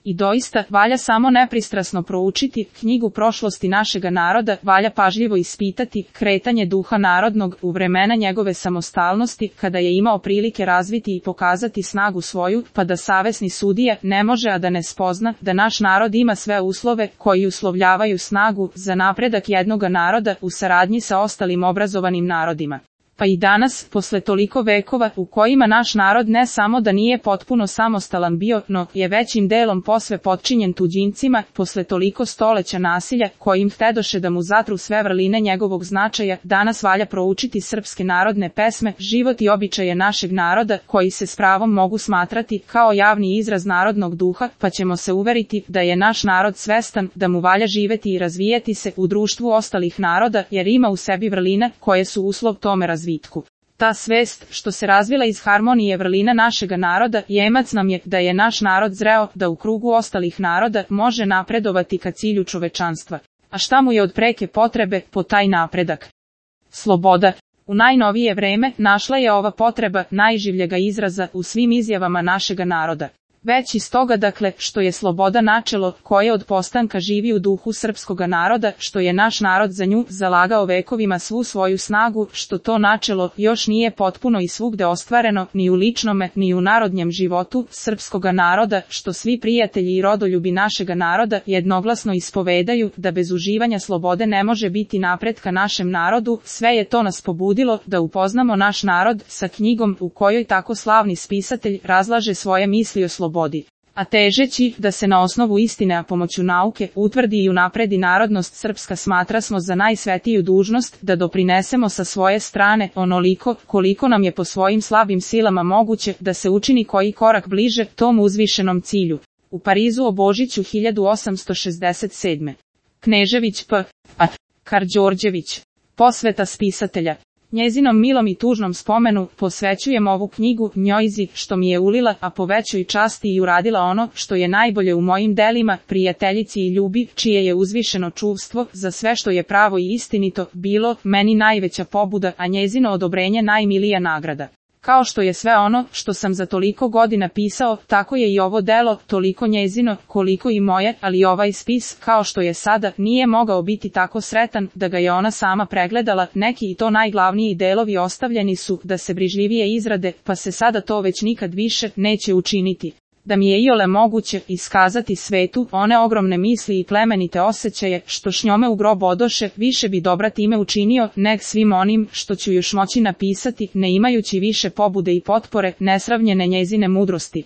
I doista, valja samo nepristrasno proučiti knjigu prošlosti našega naroda, valja pažljivo ispitati kretanje duha narodnog u vremena njegove samostalnosti, kada je imao prilike razviti i pokazati snagu svoju, pa da savesni sudija ne može a da ne spozna da naš narod ima sve uslove koji uslovljavaju snagu za napredak jednoga naroda u saradnji sa ostalim obrazovanim narodima. Pa i danas, posle toliko vekova u kojima naš narod ne samo da nije potpuno samostalan bio, no je većim delom posve potčinjen tuđincima, posle toliko stoleća nasilja kojim htedoše da mu zatru sve vrline njegovog značaja, danas valja proučiti srpske narodne pesme, život i običaje našeg naroda, koji se s pravom mogu smatrati kao javni izraz narodnog duha, pa ćemo se uveriti da je naš narod svestan da mu valja živeti i razvijati se u društvu ostalih naroda, jer ima u sebi vrline koje su uslov tome razvijati. Ta svest, što se razvila iz harmonije vrlina našega naroda, jemac nam je da je naš narod zreo da u krugu ostalih naroda može napredovati ka cilju čovečanstva. A šta mu je od preke potrebe po taj napredak? Sloboda. U najnovije vreme našla je ova potreba najživljega izraza u svim izjavama našega naroda. Već iz toga dakle, što je sloboda načelo koje od postanka živi u duhu srpskoga naroda, što je naš narod za nju zalagao vekovima svu svoju snagu, što to načelo još nije potpuno i svugde ostvareno, ni u ličnome, ni u narodnjem životu srpskoga naroda, što svi prijatelji i rodoljubi našega naroda jednoglasno ispovedaju da bez uživanja slobode ne može biti napretka našem narodu, sve je to nas pobudilo da upoznamo naš narod sa knjigom u kojoj tako slavni spisatelj razlaže svoje misli o slobodi. A težeći da se na osnovu istine a pomoću nauke utvrdi i unapredi narodnost srpska, smatra smo za najsvetiju dužnost da doprinesemo sa svoje strane onoliko koliko nam je po svojim slabim silama moguće da se učini koji korak bliže tom uzvišenom cilju. U Parizu o Božiću 1867. Knežević P.A. Karađorđević. Posveta spisatelja. Njezinom milom i tužnom spomenu posvećujem ovu knjigu njojzi što mi je ulila, a po većoj časti i uradila ono što je najbolje u mojim delima, prijateljici i ljubi, čije je uzvišeno čuvstvo za sve što je pravo i istinito bilo meni najveća pobuda, a njezino odobrenje najmilija nagrada. Kao što je sve ono što sam za toliko godina pisao, tako je i ovo delo, toliko njezino, koliko i moje, ali ovaj spis, kao što je sada, nije mogao biti tako sretan da ga je ona sama pregledala, neki i to najglavniji delovi ostavljeni su da se brižljivije izrade, pa se sada to već nikad više neće učiniti. Da mi je iole moguće iskazati svetu one ogromne misli i plemenite osjećaje što š njome u grob odoše, više bi dobra time učinio nek svim onim što ću još moći napisati, ne imajući više pobude i potpore nesravnjene njezine mudrosti.